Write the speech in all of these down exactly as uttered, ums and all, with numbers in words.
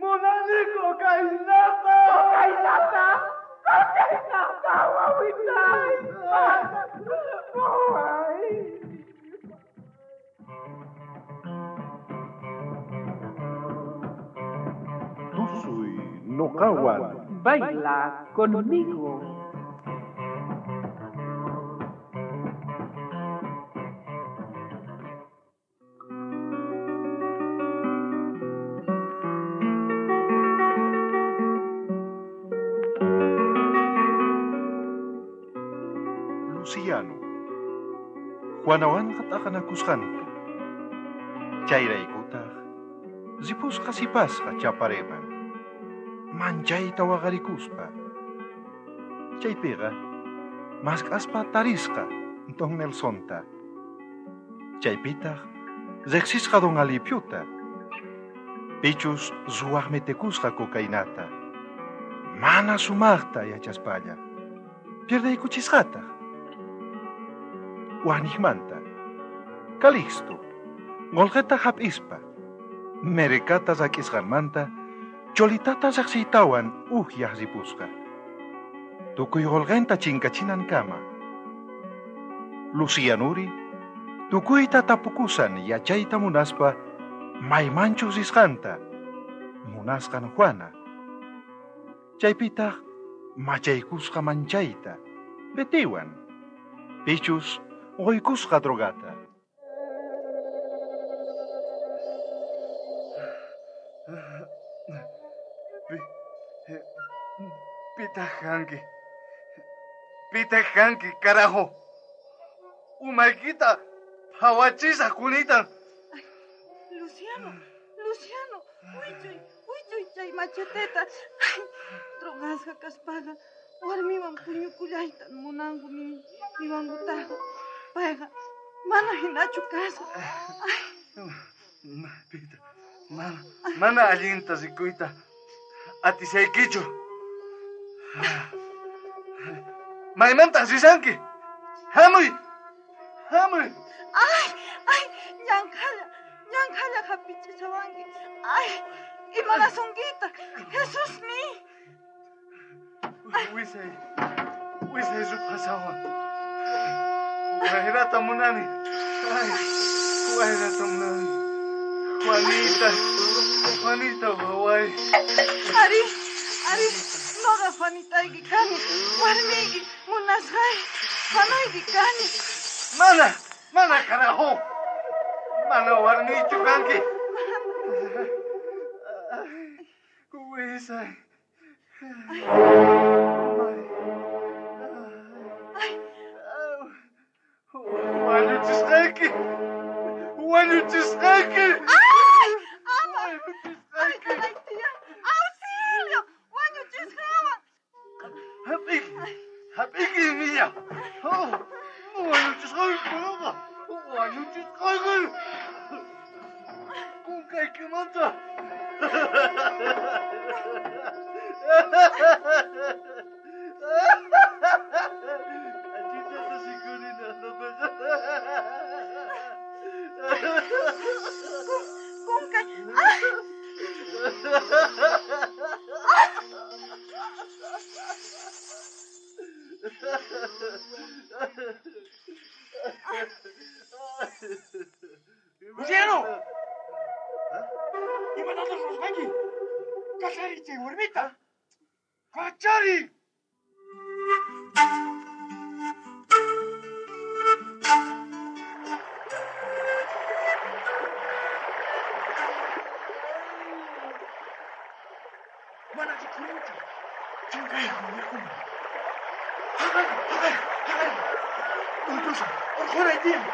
Munani cocainata. Cocainata. Cocainata, wawitay. Waway. Tusuy noqawan. Baila conmigo. Luciano. Juanawanqa t'aqanakusqanku. Chayraykutaq ripusqa sipasqa Chapareman. Manchayta waqarikuspa. Chaypiqa mask'aspa tarisqa Don Nelsonta. Chaypitaq riqsisqa Don Alipiuta. Pichus ruwaq mitikusqa cocainata. Mana sumaqta yachaspalla. Pierdaykuchisqataq. Waniqmanta. Calixto, qolqeta hap'ispa, Merecata rak'isqanmanta, Cholitata riqsiytawan ukyaq ripusqa. Tukuy qolqenta chinkachinankama. Lucianuri, tukuyta tapukusan yachayta munaspa, maymanchus risqanta, munasqan Juana. Chaypitaq machaykusqa manchayta, Betiwan, pichus qoykusqa drogata. Pitaq kanki. Pitaq kanki, carajo. Umaykita phawachisaq kunitan. Luciano, Luciano, wichuy, wichuy chay macheteta. Ay, drogasqa kaspaqa warmiwan puñukullayta munanku niwankutaq. Payqa mana hinachu kasqa. Ay. Pita, mana, mana allinta rikuyta atisaykichu. Maymantaq risanki. Hamuy, hamuy. Ay, ay, ñanqhalla, ñanqhalla hapichichawanki. Ay, imanasunkita, Jesusmi. Wisay, wisay ruphasawan. Wayrata munani. Ay, wayrata munani. Juanita, Juanita, waway. Ari, ari, noqa Juanitayki kani, warmiyki, munasqay, Juanayki kani. Mana, mana carajo. Mana warmiychu kanki. Wisay. Ay. Wañuchisqayki. Wañuchisqayki. Ay, ama. Ay, caray, tía. Auxilio. Wañuchisqawan. Hap'iki. Hap'iki, niña. Oh, wañuchisqayki, noqa. Wañuchisqayki. Kunkaykimanta. K'achitata sikurina noqaqa. Kunkay. Ay. ¡Luciano! ¡Imatataq ruwasqanki! ¡Kachari chay warmita! ¡Kachari! Mana rikurinchu. Chinkayku yakuman. Haqay, haqay, haqay. Uytushan, urquray tiyan.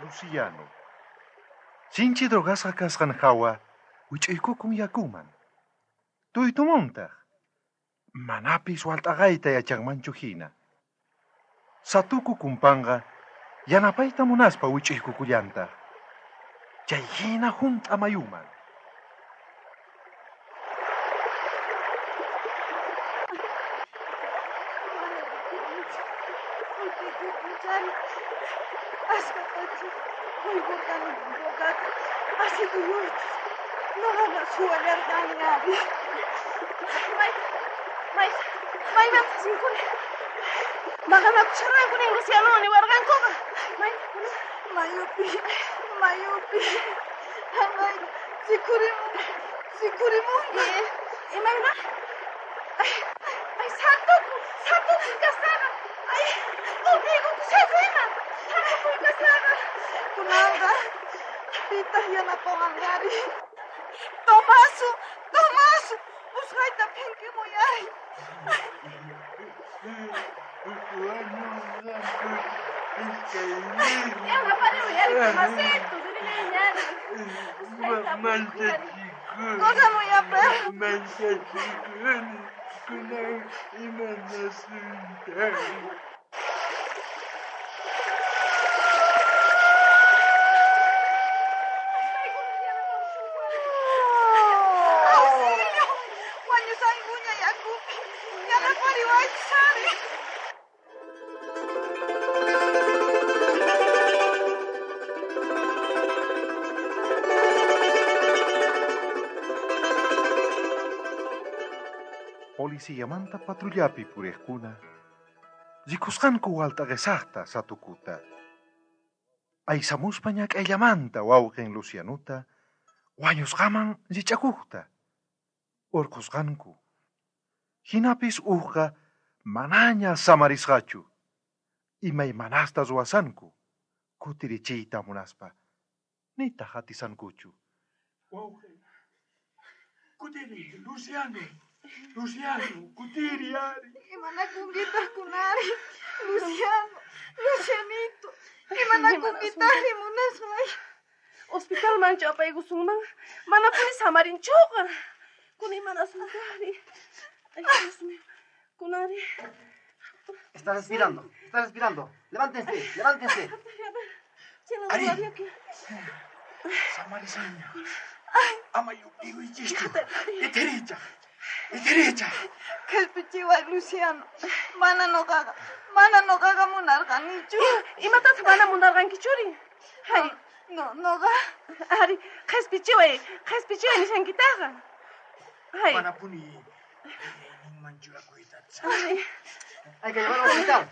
Luciano. Sinchi drogasqa kasqan hawa, wich'uykukun yakuman. Tuytumuntaq. Manapis walt'aqayta yachanmanchu hina. Satuku kumpanqa yanapayta munaspa wich'uykukullantaq. Chay hina hunt'a mayuman. Jap'ikupunchari. Asqatachu quykurqani drogata. Asikuyuychus. Noqaqa suwallarqani ari. May, may, maymantaq rinkuni? Maqanakusharqanku nin Luciano niwarqankuqa. May, Mayupi, mayupi. Haqay rikhurimun, rikhurimunqa. Imayna? Ay, ay, santuku, santuku kasqaqa. Ay, qulqiykukushaykuyman. Santukuy kasqaqa. Kunanqa pitaq yanapawanqari. Tomaso, Tomaso, usqhayta phinkimuy ari. Yanaparimuy ari, Tomasito, ririllayña ari. Usqhayta apurikuy ari. Corremuy a perro. Manchachikuni kunan imanasuyta. ¡Auxilio! ¡Wañusqankuña yakupi! ¡Yanapariwaychis ari! Policiyamanta patrullapi puriqkuna rikusqanku waltaqesaqta satukuta. Aysamuspa ñak'ayllamanta wawqin Lucianuta wañusqaman rich'akuqta urqusqanku. Hinapis uqqa manaña samarisqachu. Imaymanasta ruwasanku kutirichiyta munaspa. Nitaq atisankuchu. Wawqi, kutiri, Luciano. Luciano, kutiri ari. Imanakunkitaq kunari. Luciano, Lucianito. Imanakunkitaqri munasqay. Hospitalmanchu apaykusunman? Manapuni samarinchuqa. Kuna imanasunkari. Ay, Dios mío. Kunari. Está respirando, está respirando. Levántense, levántense. Ari. Samarisaña. Ama yupiyuychischu. Itiricha. Itiricha. Qhispichiway Luciano. Mana noqaqa, mana noqaqa munarqanichu. Imatataq mana munarqankichuri? Hay, No, noqa. ari, qhispichiway, qhispichiway nishankitaqa. Hay. Manapuni ninmanchu akuyta. Ari, Hay que llevarlo al hospital.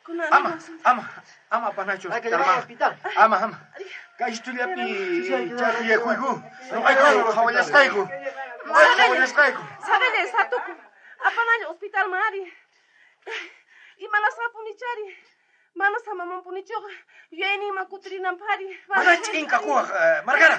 kuna Ama, ama, ama panacho. Hay que llevarlo al hospital. Ama, ama. Kay estudiapi chakuyakuyku. Noqayku qhawallasqayku. Noqayku qhawallasqayku. Sabele, satuku. Apanalla hospitalman ari. Imanasqapunichari. Mana samamanpunichuqa. Yuyayninman kutirinanpaq ari. Mana ch'inkakuwaq, eh, Margara.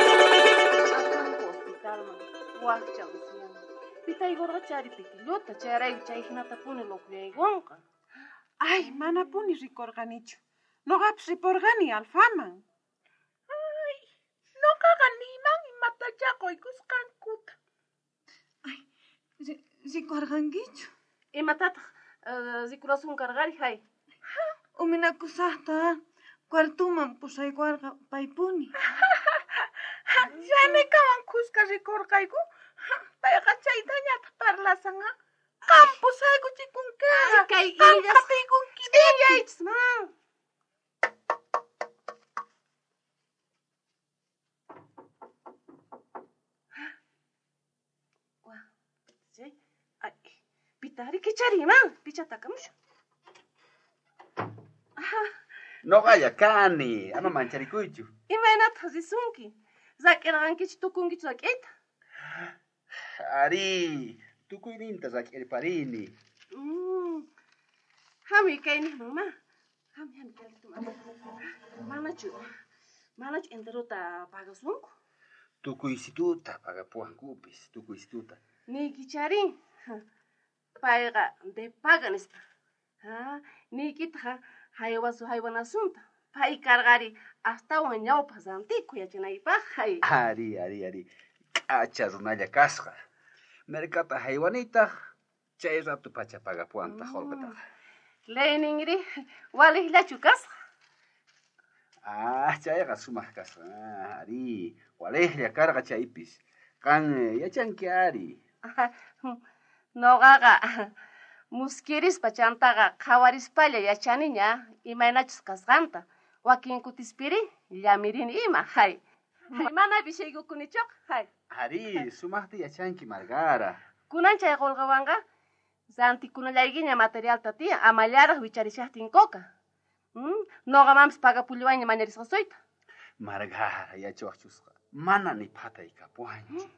Apanku hospitalman. Wakcha Luciano. Pitaykurqa chari pitillota, chayrayku chay hinatapuni lukuyaykunqa. Ay, manapuni rikurqanichu. Noqapis ripurqani Alfaman. Ay, noqaqa niman imatachá quykusqankuta. Rikurqankichu? Imatataq eh, rikurasun karqari hay. Uminakusaqta cuartuman pusaykuwarqa paypuni. Yanikawan kuska rikurqayku. Payqa chaytañataq parlasan, ha? Qam pusaykuchikunkiqa. Kay Qam illas qatiykunki. ch'inllaychis man. Wa, chay, ay, pitari kichariman, pichatakamushun. Noqalla kani, ama mancharikuychu. Imaynataq risunki? Rak'irqankichu tukunkichu rak'iyta? Ari, tukuyninta rak'irparini. Mm. Hamuy kayniqman ma. Hamuy, hamuy kayniqman. Manachu, manachu enterota pagasunku? Tukuysituta pagapuwankupis, tukuysituta. Niykicharin. Payqa de paga nispa. Ha, niykitaq haywasu haywanasunta. Pay karqari astawan ñawpaq rantiku yachanaypaq. Hay. Ari, ari, ari. K'acha runalla kasqa. Merkata haywanitaq, chay rato pacha pagapuwantaq qullqitaqa. Leyninri waliqllachu kasqa? Ah, chayqa sumaq kasqa. Ah, ari, waliqlla karqa chaypis. Qan yachanki ari. Noqaqa muskirispa chantaqa qhawarispalla yachaniña imaynachus kasqanta. Wakin kutispiri llamirini ima, hay. Mana bishaykukuниchuq, hay. Ari, sumaqta yachanki Margara. Kunan chay qolqawanqa rantikunallaykiña materialta tiyan, amallaraq wicharishaqtinkuqa. Mm, noqamanpis pagapullawayña mañarisqasuyta. Margara yachawaqchusqa, mana ni phatay kapuwanchu.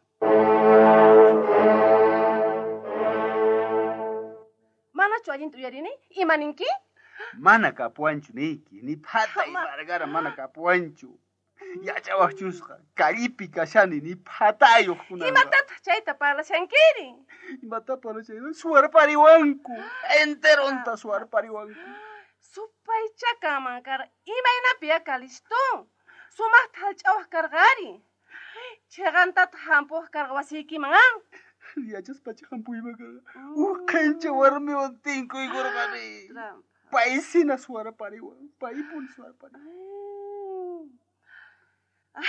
Manachu allinta uyarini? Ima ninki? Mana kapuwanchu niyki, ni phatay Margara mana kapuwanchu. Yachawaqchusqa, kallipi kashani ni phatayuq kunanqa. Imatataq chayta parlashankiri? Imata parlashankiri? Suwarpariwanku, enteronta suwarpariwanku. Supaycha kanman karqa, imaynapi ya Calixto? Sumaqta hallch'awaq karqari. Chhiqantataq hampuwaq karqa wasiykiman, ah? Yachaspacha hampuyman karqa. Uj qhencha warmiwan tinkuykurqani. Paysina suwarpariwan, paypuni suwarpariwan. Ay,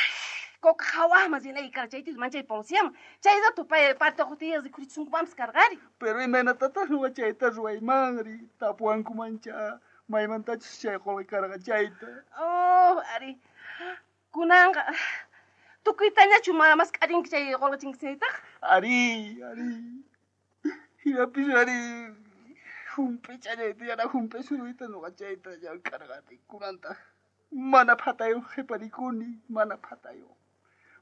coca hawaqman rinayki karqa chaytis manchay policiaman. Chay rato pay partuqtiyaq rikhurichisunkumanpis karqari. Pero imaynatataq nuqa chayta ruwaymanri, tapuwankumancha maymantachus chay qolqe karqa chayta. Oh, ari. Kunanqa tukuytañachu mask'arinki chay qolqe chinkasaytaq? Ari, ari. Hinapis ari hump'ichallayta yana hump'i suruyta nuqa chayta llank'arqani kunantaq. Mana phatayuq qhiparikuni, mana phatayuq.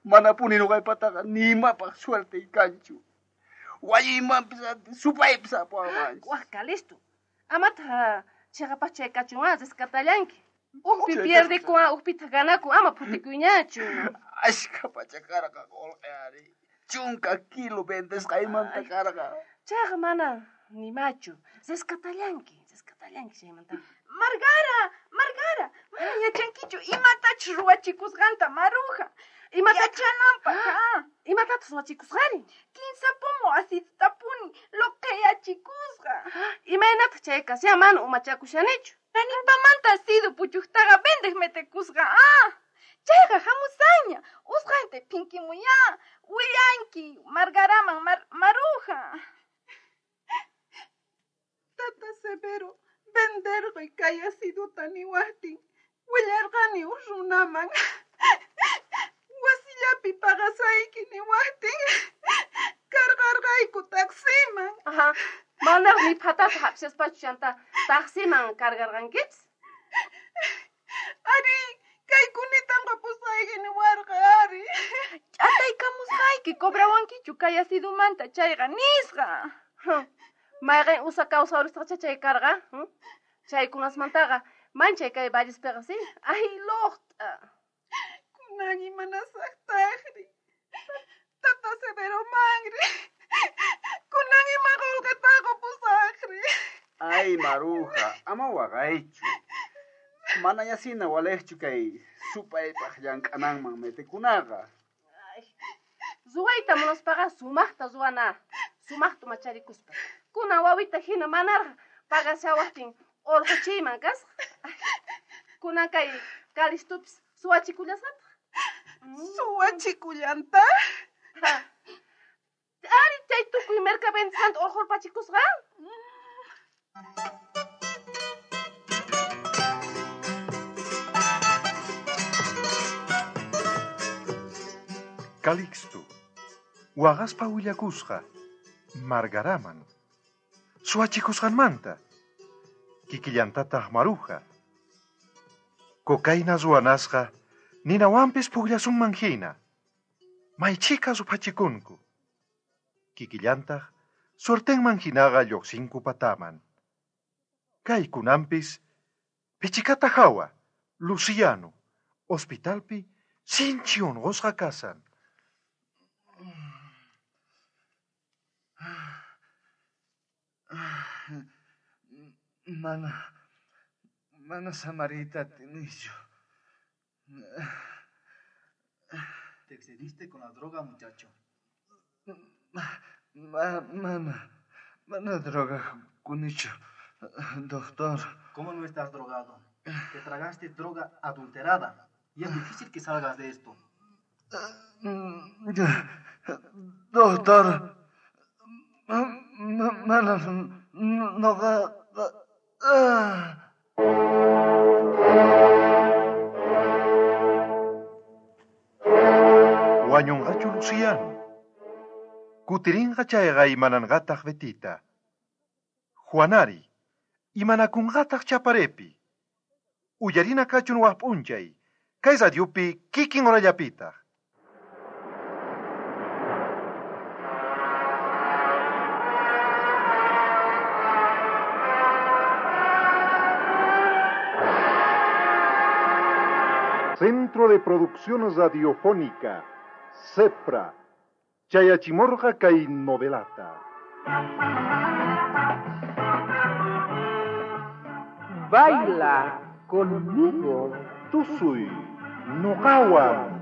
Manapuni nuqaypataqa ni imapaq suertey kanchu. Wañuymanpis antes supaypis apawanchu. Waj Calixto, amataq chhiqapaq chay kachun rescatallanki. Ujpi pierdikun, ujpitaq ganakun, ama phutikuyñachu. Ashka pacha karqa qolqe ari. Chunka kilo vendesqaymanta karqa. Chayqa mana nimachu. Rescatallanki, rescatallanki chaymantaqa. Margara, Margara, mana yachankichu imatachus ruwachikusqanta Maruja. Imata yachananpaq, ha? Imatataq ruwachikusqari? Kinsa pomo acidutapuni loqeyachikusqa. Imaynataq chay kashan mana umachakushanichu. Nanipamanta acido puchuqtaqa vendeq metekusqa, ah. Chayqa hamusaña, usqhayta phinkimuya, willanki Margaraman mar Maruja. Tata Severo, venderqui kay aciduta niwaqtin, willarqani uj runaman. Wasillapi paqasayki niwaqtin, karqarqayku taximan. Ajá. Manaq ni phatata hap'ishaspachu chanta taximan kargarqankichis? Ari, kaykunita qapusayki niwarqa, ari. Ch'ataykamusqayki cobrawankichu kay acidumanta chayqa nisqa. Mayqin usa kawsawrisqacha chay karqa? Chaykunasmantaqa manchay kay vallespiqa, sí? Ay, luqt'a. Kunan imanasaqtaqri. Tata Severo manri. Kunan ima qolqeta qupusaqri. Ay, Maruja, ama waqaychu. Manañasina waliqchu kay supaypaq llank'ananman metikunaqa. Ay, ruwayta munaspaqa sumaqta ruwana, sumaqta macharikuspa. Kunan wawita hina manaraq pagashawaqtin urquchiyman kasqa. Kunan kay Calixtopis suwachikullasqataq. Suwachikullanta? Ari, chay tukuy merca vendisqanta urqurpachikusqa. Calixto, waqaspa willakusqa Margaraman, suwachikusqanmanta, kikillantataq Maruja. Cocaína ruwanasqa ninawanpis pukllasunman hina, maychika ruphachikunku. Kikillantaq suertenman hinaqa lluqsinku pataman. Kaykunanpis pichikata hawa, Luciano, hospitalpi sinchi unqusqa kasan. Mana, mana samariyta atinichu. Te excediste con la droga, muchacho. Ma, mana, mana droga kunichu, doctor. ¿Cómo no estás drogado? Te tragaste droga adulterada y es difícil que salgas de esto. Doctor, mana noqa. Wañunqachu Luciano. Kutirinqa chayqa imananqataq Betita. Juanari, imanakunqataq Chaparepi. Uyarina kachun waj p'unchay, kay radiopi kikin horallapitaq. Centro de Producción Radiofónica, CEPRA, Chayachimorga kay novelata. Baila conmigo. Tusuy, noqawan.